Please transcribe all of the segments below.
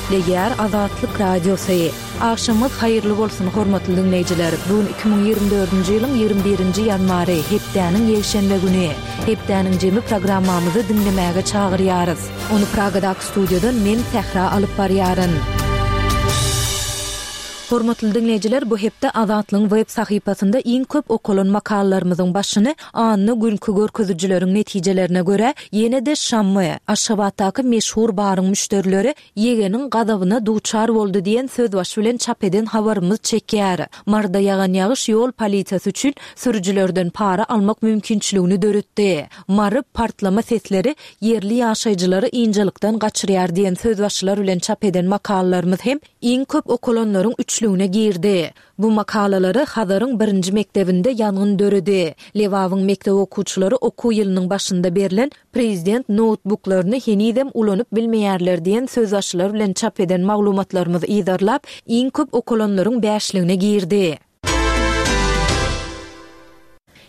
Gepleýär Azatlyk Radiosy. Agşamyňyz haýyrly bolsun, hormatly diňleýjiler! Bu gün 2024-nji ýylyň 21-nji ýanwary, hepdäniň ýekşenbe güni. Hepdäniň jemi programmamyzy diňlemäge çagyrýarys. Ony Pragadaky studiýadan men, Sähra alyp barýaryn. Hormatly diňleýjiler, bu hepde Azatlygyň web sahypasynda iň köp okalan makalalarymyzyň başyny anna günki görkezijileriň netijelerine görä, ýene-de Şammy, Aşgabatdaky meşhur baryň müşderileri ýegeniň gazabyna duçar boldy diýen sözbaşy bilen çap eden habarymyz çekýär. Maryda ýagan ýagyş ýol polisiýasy üçin sürüjilerden para almak mümkinçiligini döretdi. Mary, partlama sesleri ýerli ýaşaýjylary ynjalykdan gaçyrýar diýen sözbaşylar bilen çap eden makalalarymyz hem iň köp okalanlaryň üçlügine girdi. Bu makalalary Hazaryň birinji mekdebinde ýangyn döredi, Lebabyň mekdep okuwçylary okuw ýylynyň başynda berlen prezident noutbuklaryny henizem ulanyp bilmeýärler diýen sözbaşylar bilen çap eden maglumatlarymyzy yzarlap, iň köp okalanlaryň bäşligine girdi.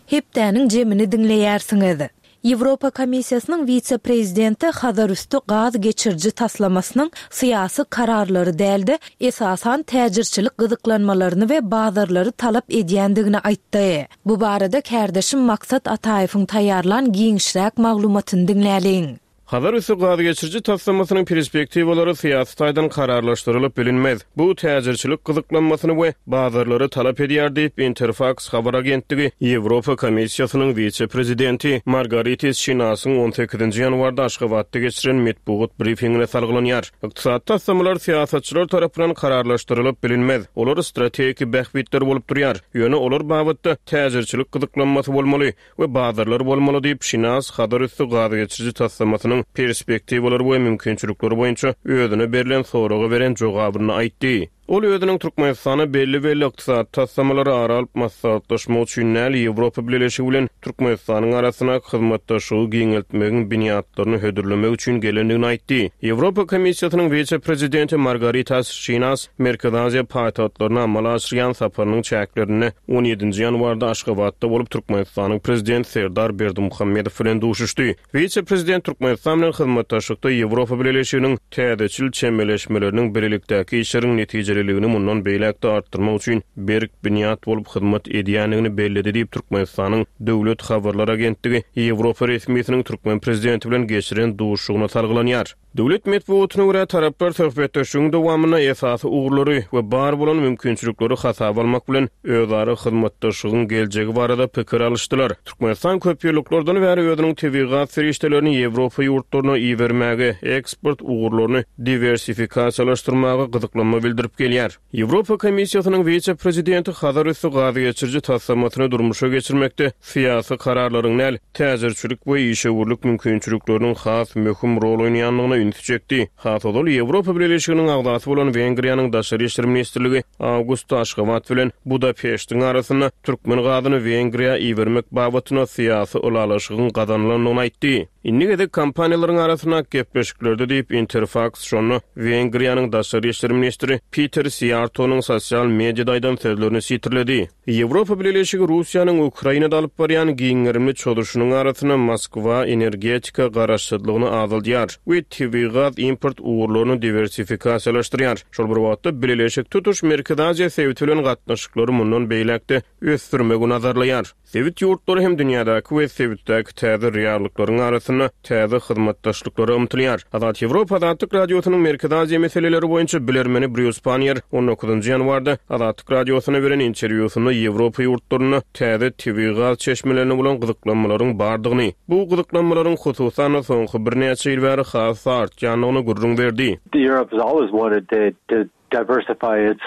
Hepdäniň jemini diňleýärsiňiz. Ýewropa Komissiýasynyň wise-prezidenti Hazarüsti gaz geçiriji taslamasynyň syýasy kararlary däl-de, esasan täjirçilik gyzyklanmalaryny we bazarlary talap edýändigini aýtdy. Bu barada kärdeşim Maksat Ataýewiň taýýarlan giňişräk maglumatyny diňläliň. Hazar üsti gazgeçiriji taslamasynyň perspektiwalary syýasy taýdan kararlaşdyrylyp bilinmez. Bu täjirçilik gyzyklanmasyny we bazarlary talap edýär diýip, Interfaks habar agentligi Ýewropa Komissiýasynyň wise-prezidenti Margaritis Şinasyň on sekizinji ýanwarda Aşgabatda geçiren metbugat brifingine salgylanýar. Ykdysady taslamalar syýasatçylar tarapyndan kararlaşdyrylyp bilinmez. Olar strategik bähbitler bolup durýar. Ýöne olar babatda täjirçilik gyzyklanmasy bolmaly. we bazarlar bolmaly diýip, Şinas Hazarüsti gazgeçiriji taslamasynyň perspektiwalary we mümkinçilikleri boýunça özüne berlen soraga beren jogabynda aýtdy. Ol özüniň Türkmenistana belli-belli ykdysady taslamalary ara alyp maslahatlaşmak üçin däl, Ýewropa Bileleşigi bilen Türkmenistanyň arasyndaky hyzmatdaşlygy giňeltmegiň binýatlaryny hödürlemek üçin gelendigini aýtdy. Ýewropa Komissiýasynyň wise-prezidenti Margaritas Şinas Merkezi Aziýa paýtagtlaryna amala aşyrýan saparynyň çäklerinde on ýedinji ýanwarda Aşgabatda bolup, Türkmenistanyň Prezidenti Serdar Berdimuhamedow bilen duşuşdy. Wise-prezident Türkmenistan bilen hyzmatdaşlykda Ýewropa Bileleşiginiň täzeçil çemeleşmeleriniň bilelikdäki işleriň netijeliligini mundan beýläk-de artdyrmak üçin berk binýat bolup hyzmat edýändigini belledi diýip, Türkmenistanyň Döwlet habarlar agentligi Ýewropa resmisiniň türkmen prezidenti bilen geçiren duşuşygyna salgylanýar. Döwlet metbugatyna görä, taraplar söhbetdeşligiň dowamynda esasy ugurlary we bar bolan mümkinçilikleri hasaba almak bilen, özara hyzmatdaşlygyň geljegi barada pikir alyşdylar. Türkmenistan köpýyllyklardan bäri özüniň tebigy gaz serişdelerini Ýewropa ýurtlaryna ibermäge, eksport ugurlaryny diwersifikasiýalaşdyrmaga gyzyklanma bildirip gelýär. Ýewropa Komissiýasynyň wise-prezidenti Hazar üsti gazgeçiriji taslamasyny durmuşa geçirmekde syýasy kararlaryň däl, täjirçilik we işewürlik mümkinçilikleriniň has möhüm rol oýnaýandygyna ünsi çekdi. Has ozal Ýewropa Bileleşiginiň agzasy bolan Wengriýanyň Daşary işler ministrligi awgustda Aşgabat bilen Budapeştiň arasynda türkmen gazyny Wengriýa ibermek babatynda syýasy ylalaşygyň gazanylandygyny aýtdy. Indi gezek kompaniýalaryň arasyndaky gepleşiklerde diýip, Interfaks şonda Wengriýanyň daşary işler ministri Piter Siýartonyň sosial mediada aýdan sözlerini sitirledi. Ýewropa Bileleşigi Russiýanyň Ukrainada alyp barýan giň gerimli çozuşynyň arasynda Moskwa energetika garaşsyzlygyny azaldýar we tebigy gaz import ugurlaryny diwersifikasiýalaşdyrýar. Şol bir wagtda, Bileleşik tutuş Merkezi Aziýa sebiti bilen gatnaşyklary mundan beýläk-de ösdürmegi nazarlaýar. Sebit ýurtlary hem dünýädäki we sebitdäki täze reallyklaryň arasynda täze hyzmatdaşlyklara ymtylýar. Azat Ýewropa Azatlyk Radiosynyň Merkezi Aziýa meseleleri boýunça bilermeni Brýus Panniýer on dokuzynjy ýanwarda Azatlyk Radiosyna beren interwýusynda Ýewropa ýurtlarynda täze tebigy gaz çeşmelerine bolan gyzyklanmalaryň bardygyny, bu gyzyklanmalaryň hususan-da soňky birnäçe ýyl bäri has-da artýandygyny gürrüň berdi. Europe has always wanted to diversify its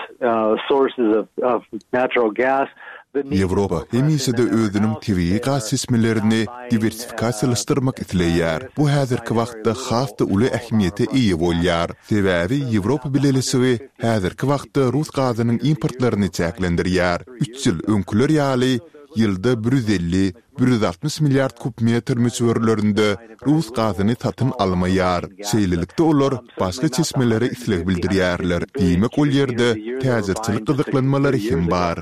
sources of natural gas. Ýewropa hemişe-de özüniň tebigy gaz çeşmelerini diwersifikasiýalaşdyrmak isleýär. Bu häzirki wagtda has-da uly ähmiýete eýe bolýar. Sebäbi Ýewropa Bileleşigi häzirki wagtda rus gazynyň importlaryny çäklendirýär. Üç ýyl öňküler ýaly ýylda 150, 160 milliard kub metr möçberlerinde rus gazyny satyn almaýar. Şeýlelikde olar başga çeşmelere isleg bildirýärler. Diýmek ol ýerde täjirçilik gyzyklanmalary hem bar.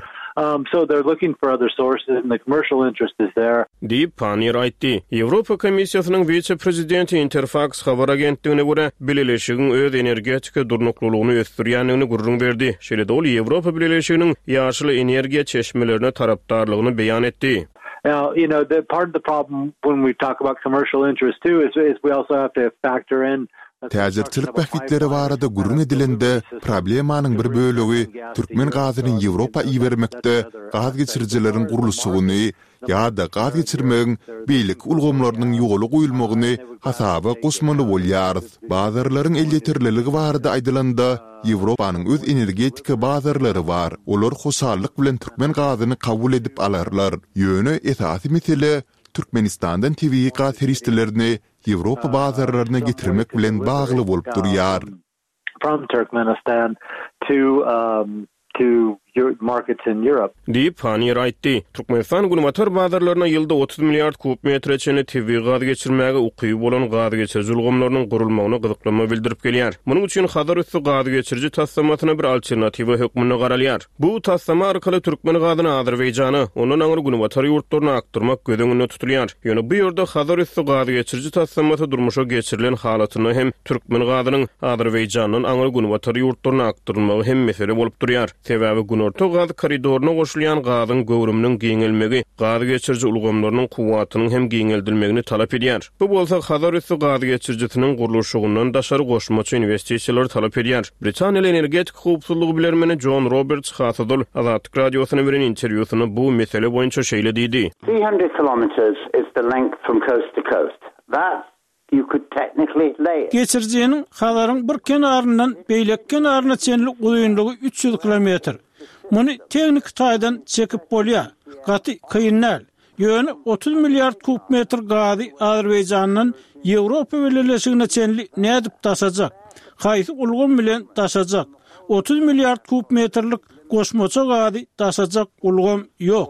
So they're looking for other sources and the commercial interest is there. Diýip, Panniýer aýtdy. Ýewropa Komissiýasynyň wise-prezidenti Interfaks habar agentligine görä, Bileleşigiň öz energetika durnuklylygyny ösdürýändigini gürrüň berdi. Şeýle-de ol Ýewropa Bileleşiginiň ýaşyl energiýa çeşmelerine tarapdarlygyny beýan etdi. Now, you know, the part of the problem when we talk about commercial interest too is, is we also have to factor in Täjirçilik bähbitleri barada gürrüň edilende, problemanyň bir bölegi türkmen gazyny Ýewropa ibermekde gaz geçirijileriň gurluşygyny ýa-da gaz geçirmegiň beýleki ulgamlarynyň ýola goýulmagyny hasaba goşmaly bolýarys. Bazarlaryň elýeterliligi barada aýdylanda, Ýewropanyň öz energetika bazarlary bar, olar hoşallyk bilen türkmen gazyny kabul edip alarlar. Ýöne esasy mesele Türkmenistandan tebigy gaz serişdelerini Ýewropa bazarlaryna getirmek bilen bagly bolup durýar. From Turkmenistan to to markets in Europe. Diýip, Panniýer aýtdy. Türkmenistan günbatar bazarlaryna ýylda 30 milliard kub metre çenli tebigy gaz geçirmäge ukyby bolan gaz geçiriji ulgamlarynyň gurulmagyna gyzyklanma bildirip gelýär. Munuň üçin Hazar üsti gaz geçiriji taslamasyna bir alternatiwa hökmünde garalýar. Bu taslama arkaly türkmen gazyny Azerbaýjana, ondan aňry günbatar ýurtlaryna akdyrmak göz öňünde tutulýar. Ýöne bu ýerde Hazar üsti gaz geçiriji taslamasy durmuşa geçirilen halatynda hem türkmen gazynyň Azerbaýjandan aňry günbatar ýurtlaryna akdyrylmagy hem mesele bolup durýar. Sebäbi Günorta gaz koridoryna goşulýan gazyň göwrüminiň giňelmegi gaz geçiriji ulgamlarynyň kuwwatynyň hem giňeldilmegini talap edýär. Bu bolsa Hazar üsti gaz geçirijisiniň gurluşygyndan daşary goşmaça inwestisiýalary talap edýär. Britaniýaly energetika howpsuzlygy bilermeni Jon Roberts has ozal Azatlyk Radiosyna beren interwýusynda bu mesele boýunça şeýle diýdi. 300 kilometres is the length from coast to coast. That you could technically lay it. Geçirijiniň Hazaryň bir kenaryndan beýleki kenaryna çenli uzynlygy 300 kilometr. Muny tehniki taýdan çekip bolýar. Gaty kyn däl. Ýöne 30 milliard kub metr gazy Azerbaýjandan Ýewropa Bileleşigine çenli nädip daşajak? Haýsy ulgam bilen daşajak? 30 milliard kub metrlik goşmaça gazy daşajak ulgam ýok.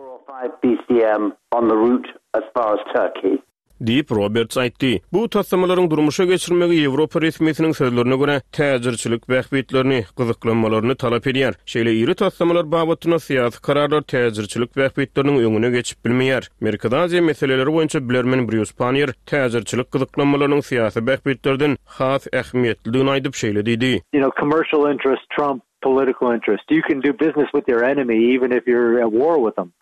Diýip, Roberts aýtdy. Bu taslamalaryň durmuşa geçirilmegi ýewropa resmisiniň sözlerine görä, täjirçilik bähbitlerini, gyzyklanmalaryny talap edýär. Şeýle iri taslamalar babatynda syýasy kararlar täjirçilik bähbitleriniň öňüne geçip bilmeýär. Merkezi Aziýa meseleleri boýunça bilermen Brýus Panniýer täjirçilik gyzyklanmalarynyň syýasy bähbitlerden has ähmiýetlidigini aýdyp, şeýle diýdi. You know, commercial interests trump political interest. You can do business with your enemy even if you're at war with them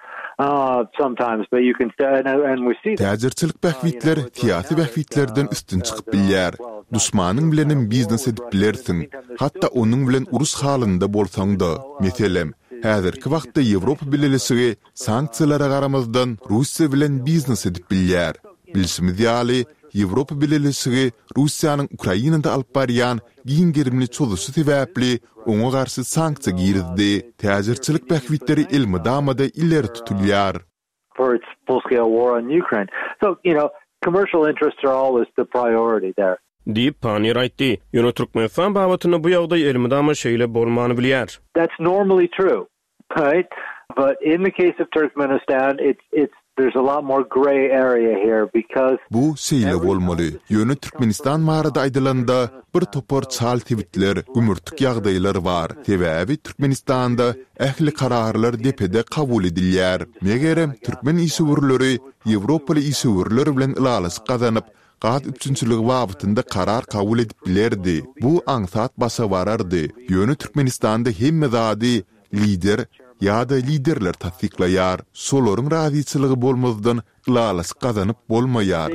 sometimes, but you can and we see that. Täjirçilik bähbitler syýasy bähbitlerden üstün çykyp bilýär. Duşmanyň bilenem biznes edip bilersiň, hatda onuň bilen uruş halynda bolsaň-da. Meselem, häzirki wagtda Ýewropa Bileleşigi sanksiýalara garamazdan Russiýa bilen biznes edip bilýär. Bilşimiz ýaly, Ýewropa Bileleşigi Russiýanyň Ukrainada alyp barýan giň gerimli çozuşy sebäpli oňa garşy sanksiýa girizdi. Täjirçilik bähbitleri elmydama-da ileri tutulýar. Diýip, Panniýer aýtdy. Ýöne Türkmenistan babatynda bu ýagdaý elmydama şeýle bolman bilýär. Right but in the case of Turkmenistan it's it's there's a lot more gray area here because Bu şeýle bolmaly. Ýöne Türkmenistan barada aýdylanda, bir topar çal sebitler, gümürtik ýagdaýlar bar. Sebäbi Türkmenistanda ähli kararlar depede kabul edilýär. Megerem, türkmen işewürleri ýewropaly işewürler bilen ylalaşyk gazanyp, gaz üpjünçiligi babatynda karar kabul edip bilerdi. Bu aňsat başa barardy. Ýöne Türkmenistanda hemme zady lider ýa-da liderler tassyklaýar. Şolaryň razyçylygy bolmazdan ylalaşyk gazanyp bolmaýar.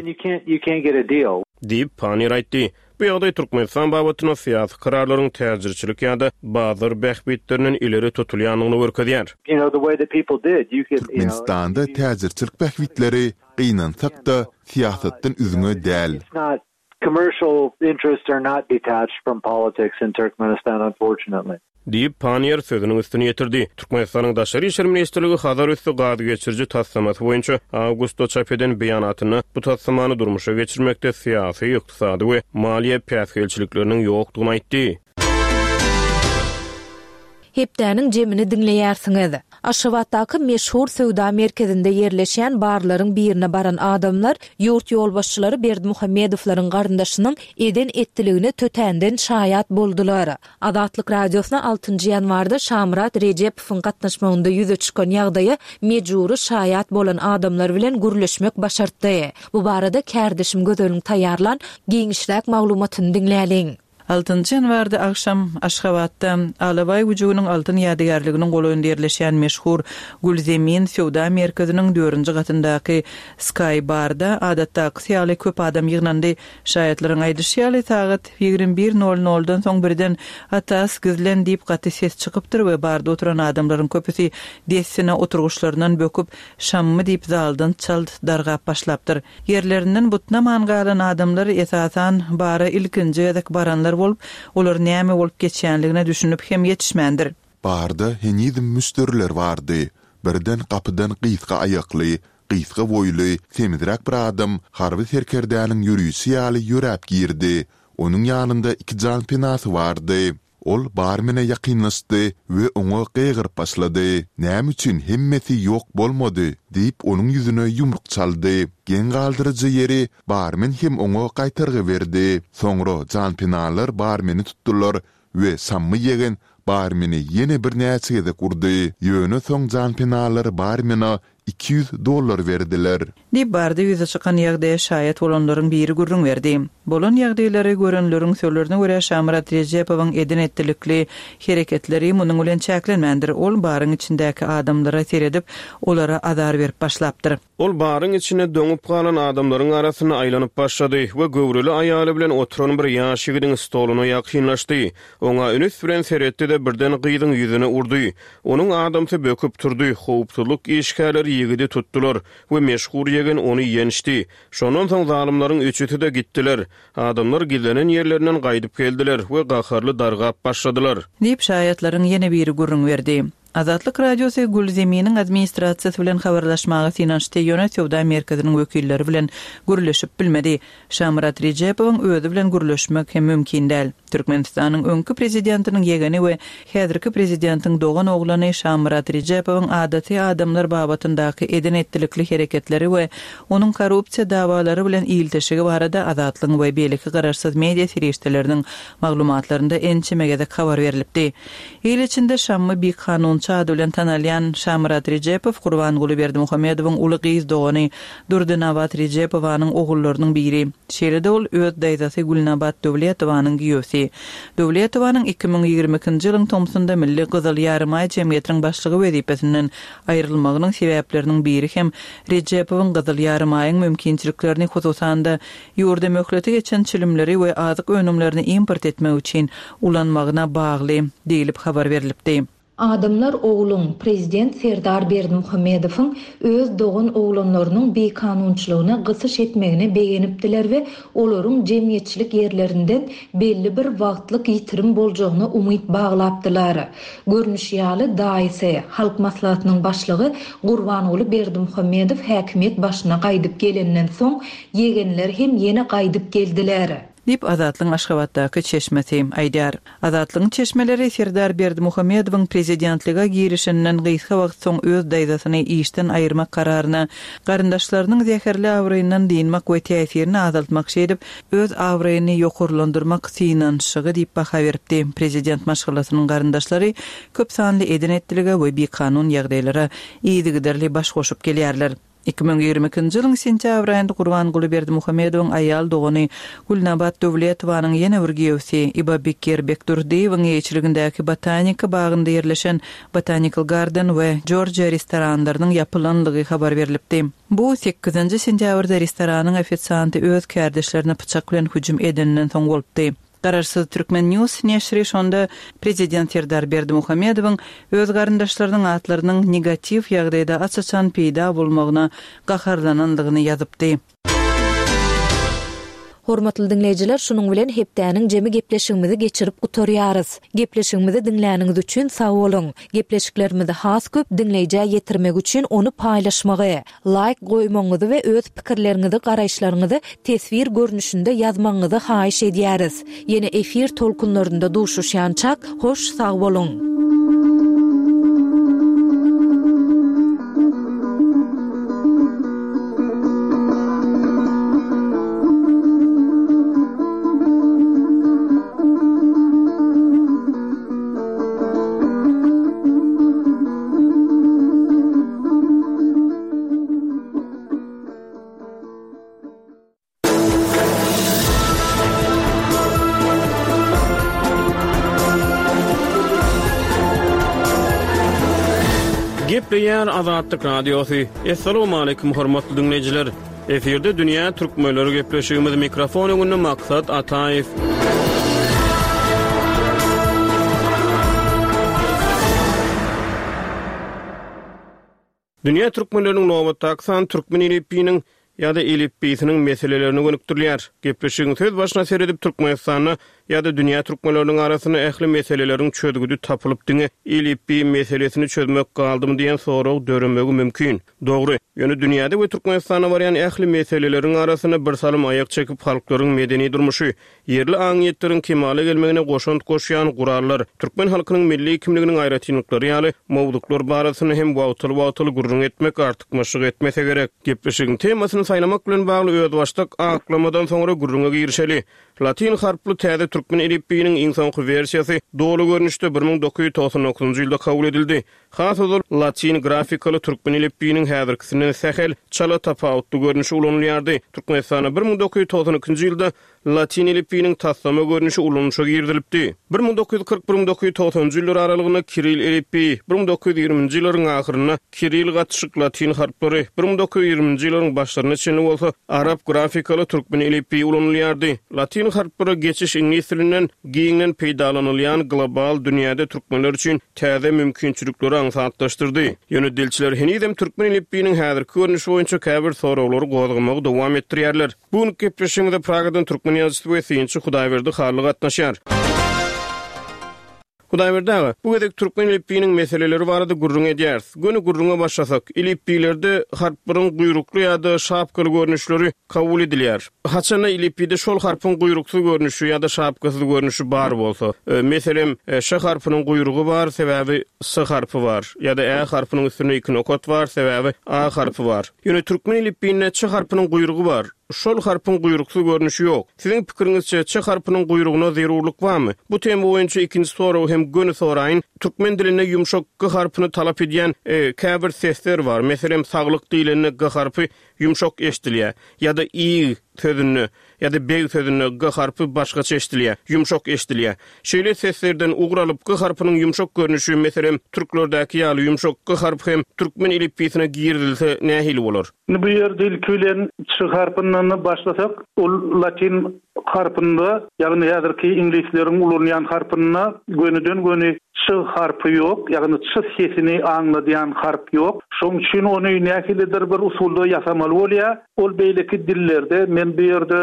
Diýip, Panniýer aýtdy. Bu ýagdaý Türkmenistan babatynda syýasy kararlaryň täjirçilik ýa-da bazar bähbitlerinden ileri tutulýandygyny görkezýär. Türkmenistanda täjirçilik bähbitleri Gynansak-da, syýasatdan üzňe däl. Diýip, Panniýer sözüniň üstüni ýetirdi. Türkmenistanyň Daşary işler ministrligi Hazar üsti gaz geçiriji taslamasy boýunça awgustda çap eden beýanatynda bu taslamany durmuşa geçirmekde syýasy, ykdysady we maliýe päsgelçilikleriniň ýokdugyny aýtdy. Hepdäniň jemini diňleýärsiňiz. Aşgabatdaky meşhur söwda merkezinde ýerleşýän barlaryň birine baran adamlar ýurt ýolbaşçylary Berdimuhamedowlaryň garyndaşynyň eden-etdiligine tötänden şaýat boldular. Azatlyk Radiosyna altynjy ýanwarda Şamyrat Rejepowyň gatnaşmagynda ýüze çykan ýagdaýa mejbury şaýat bolan adamlar bilen gürleşmek başartdy. Bu barada kärdeşim Gözeliň taýýarlan giňişräk maglumatyny diňläliň. Altynjy ýanwarda agşam Aşgabatda Alabaý güjüginiň altyn ýadygärliginiň golaýynda ýerleşýän meşhur Gülzemin söwda merkeziniň dördünji gatyndaky Sky Barda adatdakysy ýaly köp adam ýygnandy. Şaýatlaryň aýdyşy ýaly, sagat 21 nol noldan soň birden Atas, gizlen diýip gaty ses çykypdyr we barda oturan adamlaryň köpüsi dessine oturgyçlaryndan böküp, Şammy diýip zaldan çalt dargap başlapdyr. Ýerlerinden butnaman galan adamlar, esasan, bara ilkinji gezek baranlar bolup, olar näme bolup geçýänligine düşünip hem ýetişmändir. Barda henizem müşderiler bardy. Birden gapydan gysga aýakly, gysga boýly, semizräk bir adam harby serkerdäniň ýörişi ýaly ýöräp girdi. Onuň ýanynda iki janpenasy bardy. Ol barmene ýakynlaşdy we oňa gygyryp başlady. Näme üçin hemmesi ýok bolmady? diýip, onuň ýüzüne ýumruk çaldy. Geň galdyryjy ýeri, barmen hem oňa gaýtargy berdi. Soňra janpenalar barmeni tutdular we Şammy ýegen barmeni ýene birnäçe gezek urdy. Ýöne soň janpenalar barmene 200 dollar berdiler. Diýip, barda ýüze çykan ýagdaýa şaýat bolanlaryň biri gürrüň berdi. Bolan ýagdaýlary görenleriň sözlerine görä, Şamyrat Rejepowyň eden-etdilikli hereketleri munuň bilen çäklenmändir. Ol baryň içindäki adamlara seredip, olara azar berip başlapdyr. Ol baryň içinde doňup galan adamlaryň arasynda aýlanyp başlady we göwreli aýaly bilen oturan bir ýaş ýigidiň stoluna ýakynlaşdy. Oňa üns bilen seretdi-de, birden gyzyň ýüzüne urdy. Onuň adamsy böküp turdy, howpsuzlyk işgärleri ýigidi tutdular we meşhur ýegen ony ýençdi. Şondan soň zalymlaryň üçüsi-de gitdiler. Adamlar gizlenen ýerlerinden gaýdyp geldiler we gaharly dargap başladylar. Diýip, şaýatlaryň ýene biri gürrüň berdi. Azatlyk Radiosy Gülzeminiň administrasiýasy bilen habarlaşmaga synanyşdy, ýöne söwda merkeziniň wekilleri bilen gürleşip bilmedi. Şamyrat Rejepowyň özi bilen gürleşmek hem mümkin däl. Türkmenistanyň öňki prezidentiniň ýegeni we häzirki prezidentiň dogan oglany Şamyrat Rejepowyň adaty adamlar babatyndaky eden-etdilikli hereketleri we onuň korrupsiýa dawalary bilen ilteşigi barada Azatlygyň we beýleki garaşsyz media serişdeleriniň maglumatlarynda ençeme gezek habar berlipdi. Il içinde Şammy bikanunçy ady bilen tanalýan Şamyrat Rejepow Gurbanguly Berdimuhamedowyň uly gyz dogany Durdynabat Rejepowanyň ogullarynyň biri. Şeýle-de ol öz daýzasy Gülnabat Döwletowanyň giýewsi. Döwletowanyň 2022-nji ýylyň tomsunda Milli Gyzyl Ýarymaý jemgyýetiniň başlygy wezipesinden aýrylmagynyň sebäpleriniň biri hem Rejepowyň Gyzyl Ýarymaýyň mümkinçiliklerini, hususan-da, ýurda möhleti geçen çilimleri we azyk önümlerini import etmek üçin ulanmagyna bagly diýlip habar berlipdi. Adamlar ogluň, prezident Serdar Berdimuhamedowyň öz dogan oglanlarynyň bikanunçylygyna gysyş etmegine begenipdiler we olaryň jemgyýetçilik ýerlerinden belli bir wagtlyk ýitirim boljagyna umyt baglapdylar. Görnüşi ýaly, daýysy, Halk Maslahatynyň başlygy Gurbanguly Berdimuhamedow häkimiýet başyna gaýdyp gelenden soň, ýegenler hem ýene gaýdyp geldiler. Diýip, Azatlygyň Aşgabatdaky çeşmesi aýdýar. Azatlygyň çeşmeleri Serdar Berdimuhamedowyň prezidentlige girişeninden gysga wagt soň öz daýzasyny işden aýyrmak kararyna garyndaşlarynyň zäherli abraýyndan dynmak we täsirini azaltmak, şeýdip, öz abraýyny ýokarlandyrmak synanyşygy diýip baha beripdi. Prezident maşgalasynyň garyndaşlary köp sanly eden-etdilige we bikanun ýagdaýlara yzygiderli baş goşup gelýärler. 2022-nji ýylyň sentýabr aýynda Gurbanguly Berdimuhamedowyň aýal dogany Gülnabat Döwletowanyň ýene bir giýewsi Ibabekir Bekdurdyýewiň eýeçiligindäki Botanika bagynda ýerleşen Botanical Garden we Georgia restoranlarynyň ýapylanlygy habar berlipdi. Bu sekizinji sentýabrda restoranyň ofisianty öz kärdeşlerine pyçak bilen hüjüm edeninden soň bolupdy. Garaşsyz Turkmen News neşiri şonda prezident Serdar Berdimuhamedowyň öz garyndaşlarynyň atlarynyň negatiw ýagdaýda aç-açan peýda bolmagyna gaharlanandygyny ýazypdy. Hormatly diňleýjiler şunuň bilen hepdäniň jemi gepleşigimizi geçirip gutarýarys. Gepleşigimizi diňläniňiz üçin sag boluň. Gepleşiklerimizi has köp diňleýjä ýetirmek üçin ony paýlaşmagy, Laýk goýmagyňyzy we öz pikirleriňizi garaýyşlaryňyzy teswir görnüşinde ýazmagyňyzy haýyş edýäris. Ýene efir tolkunlarynda duşuşýançak hoş sag boluň. Gepleýär Azatlyk Radiosy. Assalamualaikum hormatly diňleýjiler. Efirde dünýä türkmenleri gepleşigimiz mikrofon öňünde Maksat Ataýew. Dünýä türkmenleriniň nobatdaky sany türkmen elipbiýiniň ýa-da elipbiýsiniň meselelerine gönükdirilýär. Gepleşigiň söz başyna seredip Türkmenistanda ýa-da dünýä türkmenleriniň arasynda ähli meseleleriň çözgüdi tapylyp diňe elipbiý meselesini çözmek galdymy diýen sorag döremegi mümkin. Dogry. Ýöne dünýäde we Türkmenistanda barýan ähli meseleleriň arasynda birsalym aýak çekip halklaryň medeni durmuşy, Ýerli aňyýetleriň kemala gelmegine goşant goşýan gurallar, türkmen halkynyň milli kimliginiň aýratynlyklary ýaly mowzuklar barasynda hem wagtal-wagtal gürrüň etmek artykmaçlyk etmese gerek. Gepleşigiň temasyny saýlamak bilen bagly özbaşdak aklamadan soňra gürrüňe girişeli. Latyn harply täze türkmen elipbiýiniň iň soňky wersiýasy doly görnüşde 1999-njy ýylda kabul edildi. Has ozal latyn grafikaly türkmen elipbiýiniň häzirkisinden sähel çala tapawutly görnüşi ulanylýardy. Türkmenistanda 1992-nji ýylda Latyn elipbiýiniň taslama görnüşi ulanyşa girizilipdi. 1941 1990-njy ýyllar aralygynda kiril elipbiýi, 1920-nji ýyllaryň ahyrynda kiril gatyşyk latyn harplary, 1920-nji ýyllaryň başlaryna çenli bolsa arap grafikaly türkmen elipbiýi ulanylýardy. Latyn harplara geçiş iňlis dilinden giňden peýdalanylýan global dünýäde türkmenler üçin täze mümkinçilikleri aňsatlaşdyrdy. Ýöne dilçiler henizem türkmen elipbiýiniň häzirki görnüşi boýunça käbir soraglary gozgamagy dowam etdirýärler. Bu günki gepleşigimize Pragadan türkmen ýazyjysy we synçy Hudaýberdi Hally gatnaşýar. Hudaýberdi aga, bu gezek türkmen elipbiýiniň meseleleri barada gürrüň edýäris. Göni gürrüňe başlasak, elipbiýlerde harplaryň guýrukly ýa-da şapkaly görnüşleri kabul edilýär. Haçanda elipbiýde şol harpyň guýruksyz görnüşi ýa-da şapkasyz görnüşi bar bolsa, meselem, ş harpynyň guýrugy bar, sebäbi s harpy bar, ýa-da ä harpynyň üstünde iki nokat bar, sebäbi a harpy bar. Ýöne türkmen elipbiýinde ç harpynyň guýrugy bar. Şol harpyň guýruksyz görnüşi ýok. Siziň pikiriňizçe, ç harpynyň guýrugyna zerurlyk barmy? Bu tema boýunça ikinji soragy hem göni soraýyn. Türkmen dilinde ýumşak g harpyny talap edýän käbir sesler bar. Meselem, saglyk diýlende g harpy ýumşak eşdilýär. Ýa-da ig sözünde ýa-da beg sözünde g harpy başgaça eşidilýär, ýumşak eşidilýär. Şeýle seslerden ugur alyp, g harpynyň ýumşak görnüşi, meselem, türklerdäki ýaly ýumşak g harpy hem türkmen elipbiýsine girizilse nähili bolar? Indi bu ýerde ilki bilen ç harpyndan başlasak, ol latyn harpynda, ýagny häzirki iňlisleriň ulanýan harpynda gönüden-göni ç harpy ýok, ýagny ç sesini aňladýan harp ýok. Şonuň üçin ony nähilidir bir usulda ýasamaly bolýar. Ol beýleki dillerde, men bu ýerde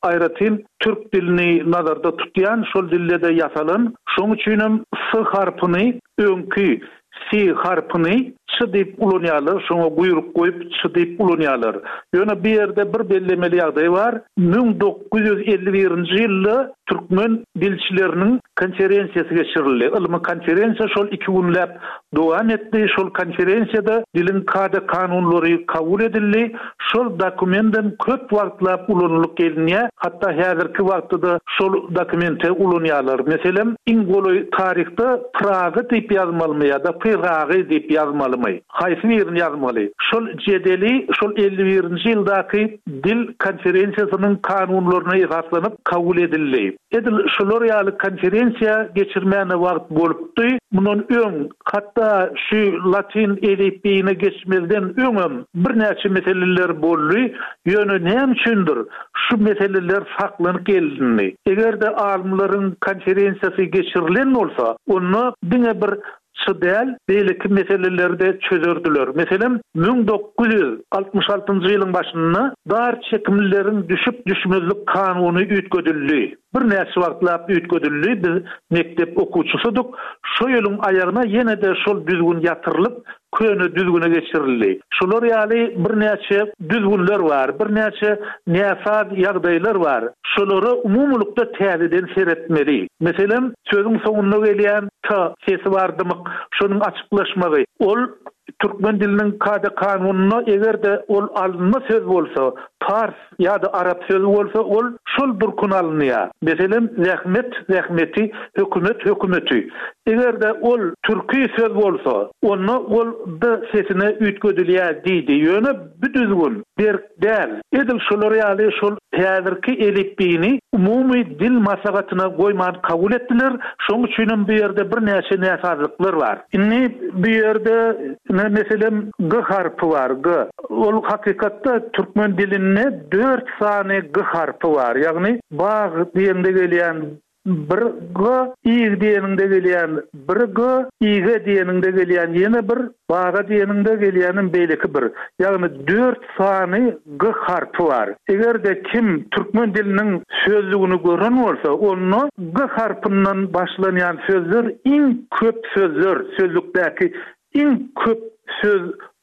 aýratyn türk dilini nazarda tutýan, şol dilde-de ýasalan. Şonuň üçinem s harpyny öňki si harpyny ç diýip ulanýarlar, şoňa guýruk goýup ç diýip ulanýarlar. Ýöne bu ýerde bir bellemeli ýagdaý bar, 1951-nji ýylda türkmen dilçileriniň konferensiýasy geçirildi. Ylmy konferensiýa şol iki günläp dowam etdi. Şol konferensiýada diliň kada-kanunlary kabul edildi. Şol dokumendem köp wagtlap ulanylyp gelinýär. Hatda häzirki wagtda-da şol dokumenti ulanýarlar. Meselem, iň golaý taryhda Pragy diýip ýazmalymy ýa-da Pyragy diýip ýazmalymy? Haýsy birini ýazmaly? Şol jedeli şol 51-nji ýyldaky dil konferensiýasynyň kanunlaryna esaslanyp kabul edildi. Edil şular ýaly konferensiýa geçirmäne wagt bolupdy. Mundan öň, hatda şu latyn elipbiýine geçmezden öňem birnäçe meseleler boldy. Ýöne näme üçindir şu meseleler saklanyp gelindi. Eger-de alymlaryň konferensiýasy geçirilen bolsa, onda diňe bir Çy däl, beýleki meseleleri-de çözerdiler. Meselem, 1966-njy ýylyň başynda dar çekimlileriň düşüp-düşmezlik kanuny üýtgedildi. Birnäçe wagtlap üýtgedildi, biz mekdep okuwçysydyk. Şo ýylyň aýagyna ýene-de şol düzgün ýatyrylyp, köne düzgüne geçirildi. Şular ýaly birnäçe düzgünler bar, birnäçe näsaz ýagdaýlar bar. Şolara umumylykda täzeden seretmeli. Meselem, sözüň soňunda gelýän t sesi bar dymyk, şonuň açyklaşmagy. Ol türkmen diliniň kada-kanunynda eger-de ol alynma söz bolsa, pars ýa-da arap sözi bolsa ol şol durkuna alynýar. Meselem, zähmet, zähmeti, hökümet, hökümeti. Eger-de ol türki söz bolsa, onda ol d sesine üýtgedilýär diýdi. Ýöne bu düzgün berk däl. Edil şolar ýaly şol häzirki elipbiýni umumy dil maslahatyna goýman kabul etdiler. Şonuň üçinem bu ýerde birnäçe näsazlyklar bar. Indi bu ýerde. Ine, meselem, G harpy bar, G. Ol hakykatda türkmen dilinde dört sany G harpy bar. Ýagny bag diýende gelýän bir G, ig diýeniňde gelýän bir G, ige diýeniňde gelýän ýene bir, baga diýeniňde gelýänem beýleki bir. Ýagny dört sany G harpy bar. Eger-de kim türkmen diliniň sözlügini gören bolsa, onda G harpyndan başlanýan sözler iň köp sözler, sözlükdäki iň köp söz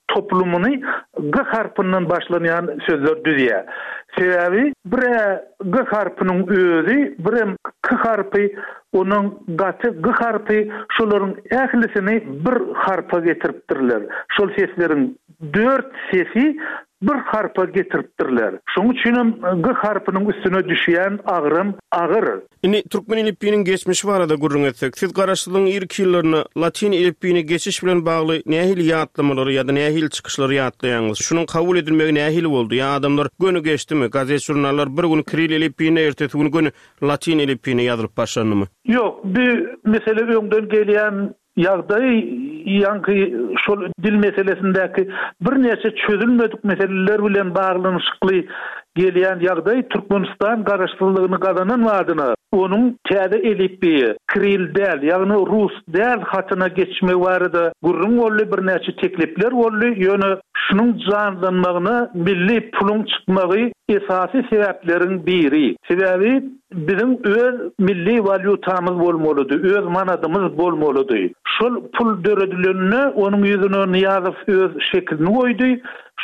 toplumyny G harpyndan başlanýan sözler düzýär. Sebäbi bir-ä G harpynyň özi, birem K harpy, onuň gaty G harpy, şolaryň ählisini bir harpa getiripdirler. Şol sesleriň dört sesi bir harpa getiripdirler. Şonuň üçinem G harpynyň üstüne düşýän agram agyr. Indi türkmen elipbiýiniň geçmişi barada gürrüň etsek, siz Garaşsyzlygyň irki ýyllarynda latyn elipbiýine geçiş bilen bagly nähili ýatlamalary ýa-da nähili çykyşlary ýatlaýaňyz? Şunuň kabul edilmegi nähili boldy? Ýa adamlar göni geçdimi? Gazet-žurnallar bir gün kiril elipbiýinde, ertesi gün göni latyn elipbiýine ýazylyp başlandymy? Ýok, bu mesele öňden gelýän Ýagdaý ýaňky şol dil meselesindäki birnäçe çözülmedik meseleler bilen baglanyşykly gelýän ýagdaý Türkmenistan garaşsyzlygyny gazanan badyna onuň täze elipbiýe, kiril däl, ýagny rus däl hatyna geçmegi barada gürrüň boldy, birnäçe teklipler boldy, ýöne şunuň janlanmagyna milli puluň çykmagy esasy sebäpleriň biri. Sebäbi Biziň öz milli walýutamyz bolmalydy, öz manadymyz bolmalydy. Şol pul döredilende onuň ýüzüne Nyýazow öz şekilini goýdy,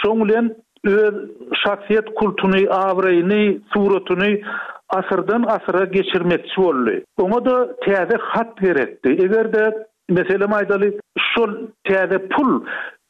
şoň bilen öz şahsyýet kultuny, abraýyny, suratyny asyrdan asyra geçirmekçi boldy. Oňa-da täze hat gerekdi. Eger-de Meselem aýdaly, şol täze pul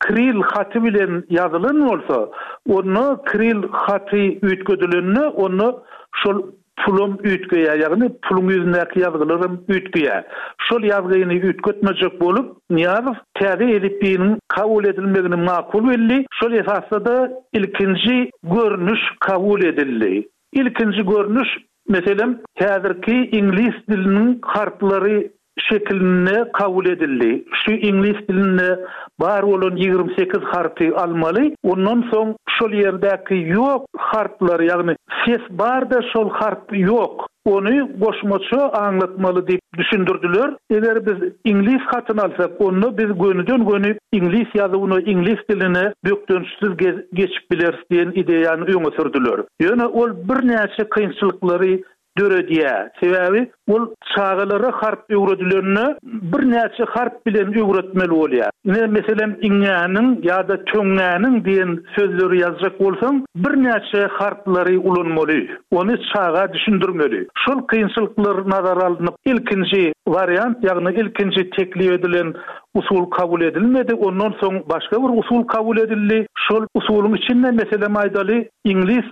kiril haty bilen ýazylan bolsa, onda kiril haty üýtgedilende, onda şol pulam üýtgeýär, ýagny puluň ýüzündäki ýazgylaram üýtgeýär. Şol ýazgyny üýtgetmejek bolup, Nyýazow täze elipbiýiniň kabul edilmegini makul bildi, şol esasda-da ilkinji görnüş kabul edildi. Ilkinji görnüş, meselem, häzirki iňlis diliniň harplary şekilinde kabul edildi. Şu iňlis dilinde bar bolan 28 harpy almaly, ondan soň şol ýerdäki ýok harplary, ýagny ses bar-da şol harp ýok, ony goşmaça aňlatmaly diýip düşündirdiler. Eger biz iňlis hatyny alsak, onda biz gönüden-göni iňlis ýazuwyna, iňlis diline bökdençsiz geçip bileris diýen ideýany öňe sürdüler. Ýöne ol birnäçe kynçylyklary döredýär. Sebäbi ol çagalara harp öwredilende birnäçe harp bilen öwretmeli bolýar. Ine, meselem, iňňäniň ýa-da töňňäniň diýen sözleri ýazjak bolsaň, birnäçe harplary ulanmaly. Ony çaga düşündirmeli. Şol kynçylyklar nazara alnyp, ilkinji wariant, ýagny ilkinji teklip edilen usul kabul edilmedi. Ondan soň başga bir usul kabul edildi. Şol usulyň içinde, meselem aýdaly, iňlis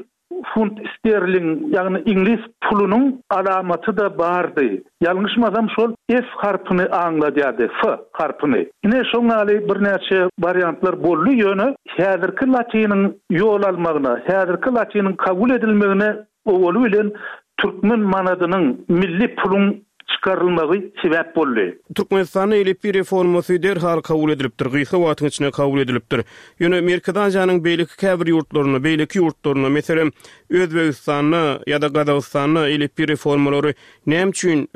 funt sterling, ýagny iňlis pulunyň alamaty-da bardy. Ýalňyşmasam şol F harpyny aňladýardy, F harpyny. Ine şoň ýaly birnäçe wariantlar boldy, ýöne häzirki latynyň ýol almagyna, häzirki latynyň kabul edilmegine owaly bilen türkmen manadynyň, milli puluň çykarylmagy sebäp boldy. Türkmenistanda elipbiý reformasy derhal kabul edilipdir, gysga wagtyň içinde kabul edilipdir. Ýöne Merkezi Aziýanyň beýleki käbir ýurtlarynda, beýleki ýurtlarynda, meselem, Özbegistanda ýa-da Gazagystanda elipbiý reformalary näme üçin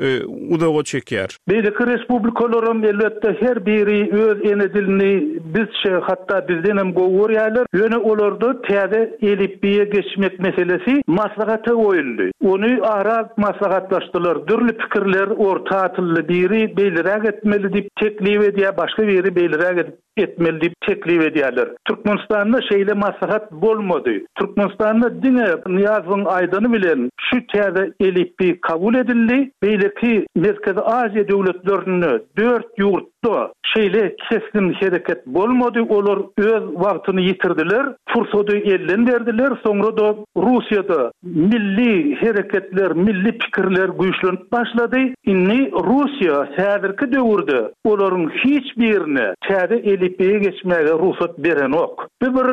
uzaga çekýär? Beýleki respublikalaram elbetde her biri öz ene dilini bizçe, hatda bizdenem gowy görýärler. Ýöne olarda täze elipbiýe geçmek meselesi maslahata goýuldy. Ony ara alyp maslahatlaşdylar. Dürli pikirler orta atyldy. Biri beýleräk etmeli diýip teklip edýär, başga biri beýleräk edip etmeli diýip teklip edýärler. Türkmenistanda şeýle maslahat bolmady. Türkmenistanda diňe Nyýazowyň aýdany bilen şu täze elipbiý kabul edildi. Beýleki Merkezi Aziýa döwletlerinde dört ýurtda şeýle kesgin hereket bolmady. Olar öz wagtyny ýitirdiler, pursady elden berdiler. Soňra-da Russiýada milli hereketler, milli pikirler güýçlenip başlady. Indi Russiýa häzirki döwürde olaryň hiç birine täze elipbiýe geçmäge rugsat berenok. Bu bir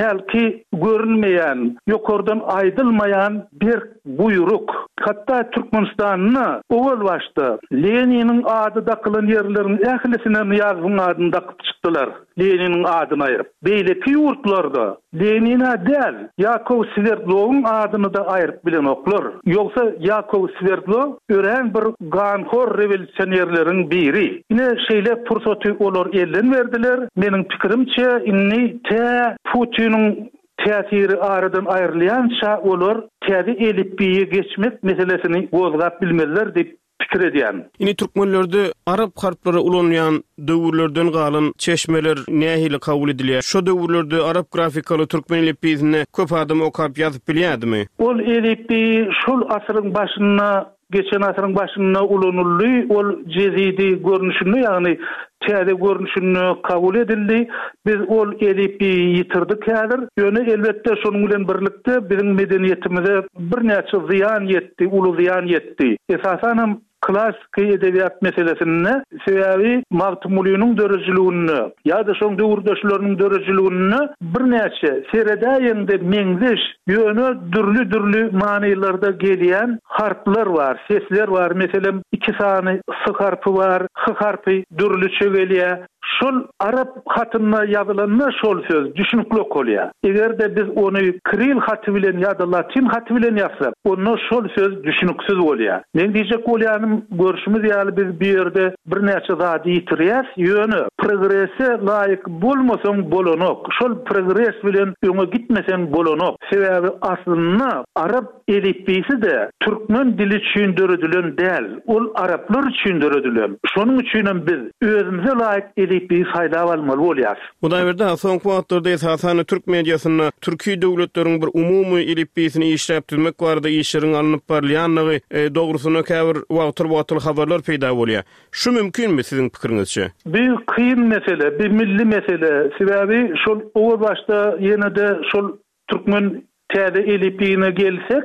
hälki görünmeýän, ýokardan aýdylmaýan berk buýruk. Hatda Türkmenistanda owal başda Leniniň ady dakylan ýerleriň ählisine Nyýazowyň adyny dakyp çykdylar, Leniniň adyny aýryp. Beýleki ýurtlarda Lenin-ä däl, Ýakow Swerdlowyň adyny-da aýryp bilenoklar. Ýogsa Ýakow Swerdlow örän bir ganhor rewolýusionerleriň biri. Ine, şeýle pursaty olar elden berdiler. Meniň pikirimçe, indi tä Putiniň täsiri aradan aýrylýança olar täze elipbiýe geçmek meselesini gozgap bilmezler diýip pikir edýän. Indi türkmenlerde arap harplary ulanylýan döwürlerden galan çeşmeler nähili kabul edilýär? Şo döwürlerde arap grafikaly türkmen elipbiýsinde köp adam okap ýazyp bilýärdimi? Ol elipbiý şol asyryň başynda Geçen asyryň başynda ulanyldy, ol jezidi görnüşinde, ýagny täze görnüşinde kabul edildi. Biz ol elipbiýi ýitirdik häzir. Ýöne, elbetde, şonuň bilen birlikde biziň medeniýetimize birnäçe zyýan ýetdi, uly zyýan ýetdi. Esasanam, klassyky edebiýat meselesinde, sebäbi Magtymgulynyň döredijiliginde ýa-da şoň döwürdeşleriniň döredijiliginde birnäçe, seredäýeňde meňzeş, Ýöne dürli-dürli manylarda gelýän harplar bar, sesler bar. Meselem, iki sany s harpy bar, h harpy dürlüçe gelýär. Şol arap hatynda ýazylanda şol söz düşnükli okalýar. Eger-de biz ony kiril haty bilen ýa-da latyn haty bilen ýazsak, onda şol söz düşnüksiz bolýar. Meň diýjek bolýanym, görşümiz ýaly biz bu ýerde birnäçe zady ýitirýäs, ýöne progrese laýyk bolmasaň bolanok, şol progres bilen öňe gitmeseň bolanok, sebäbi aslynda arap elipbiýsi-de türkmen dili üçin döredilen däl, ol araplar üçin döredilen, şonuň üçinem biz özümize laýyk elipbiýi saýlap almaly bolýas. Hudaýberdi aga, soňky wagtlarda esasan-da türk mediasynda türki döwletleriň bir umumy elipbiýsini işläp düzmek barada işleriň alnyp barylýandygy dogrusynda käbir wagtal-wagtal habarlar peýda bolýar. Şu mümkinmi siziň pikiriňizçe? Bu kyn mesele, bu milli mesele. Sebäbi şol owal başda ýene-de şol türkmen täze elipbiýine gelsek,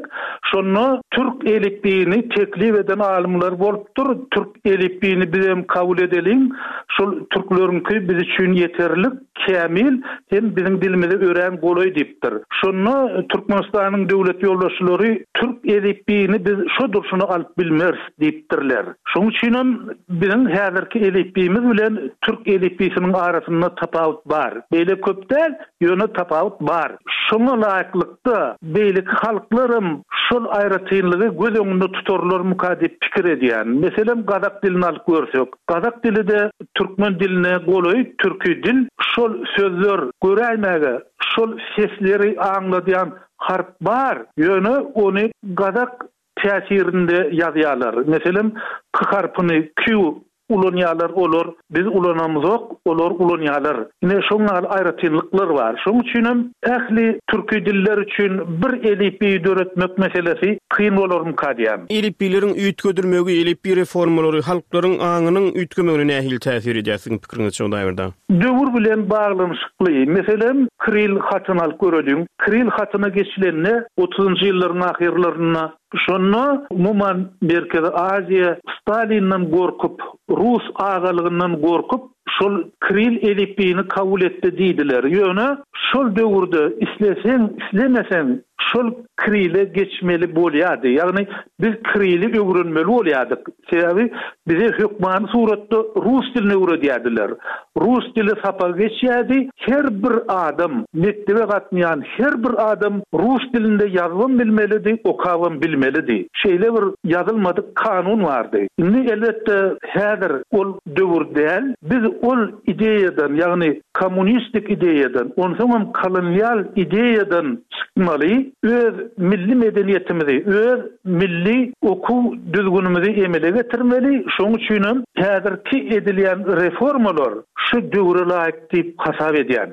şonda türk elipbiýini teklip eden alymlar bolupdyr, türk elipbiýini bizem kabul edeliň, şol türkleriňki biz üçin ýeterlik, kämil hem biziň dilimize örän golaý diýipdir. Şonda Türkmenistanyň döwlet ýolbaşçylary türk elipbiýini biz şo durşuna alyp bilmeris diýipdirler. Şonuň üçinem biziň häzirki elipbiýimiz bilen türk elipbiýsiniň arasynda tapawut bar. Beýle köp däl, ýöne tapawut bar. Şoňa laýyklykda beýleki halklaram şol aýratynlygy göz öňünde tutarlarmyka diýip pikir edýän. Meselem, gazak dilini alyp görsek. Gazak dili-de türkmen diline golaý türki dil. Şol sözler göräýmäge şol sesleri aňladýan harp bar, ýöne ony gazak täsirinde ýazýarlar. Meselem, k harpyny Q ulanýarlar olar, biz ulanamyzok, olar ulanýarlar. Ine, şoň ýaly aýratynlyklar bar. Şoň üçinem ähli türki diller üçin bir elipbiý döretmek meselesi kyn bolarmyka diýýän. Elipbiýleriň üýtgedilmegi, elipbiý reformalary halklaryň aňynyň üýtgemegine nähili täsir edýär siziň pikiriňizçe Hudaýberdi aga? Döwür bilen baglanyşykly. Meselem, kiril hatyny alyp göreliň. Kiril hatyna geçilende otuzynjy ýyllaryň ahyrlarynda, şonda umuman Merkezi Aziýa Stalinden gorkup, rus agalygyndan gorkup, şol kiril elipbiýini kabul etdi diýdiler. Ýöne şol döwürde isleseň, islemeseň şol kirile geçmeli bolýardy. Ýagny biz kirili öwrenmeli bolýardyk. Sebäbi bize hökmany suratda rus dilini öwredýärdiler. Rus dili sapagy geçýärdi. Her bir adam, mekdebe gatnaýan her bir adam rus dilinde ýazybam bilmelidi, okabam bilmelidi. Şeýle bir ýazylmadyk kanun bardy. Indi elbetde häzir ol döwür däl. Biz ol ideýadan, ýagny kommunistik ideýadan, onsoňam kolonial ideýadan çykmaly, öz milli medeniýetimizi, öz Milli okuw düzgünimizi emele getirmeli, şonuň üçinem häzirki edilýän reformalar şu döwre laýyk diýip hasap edýän.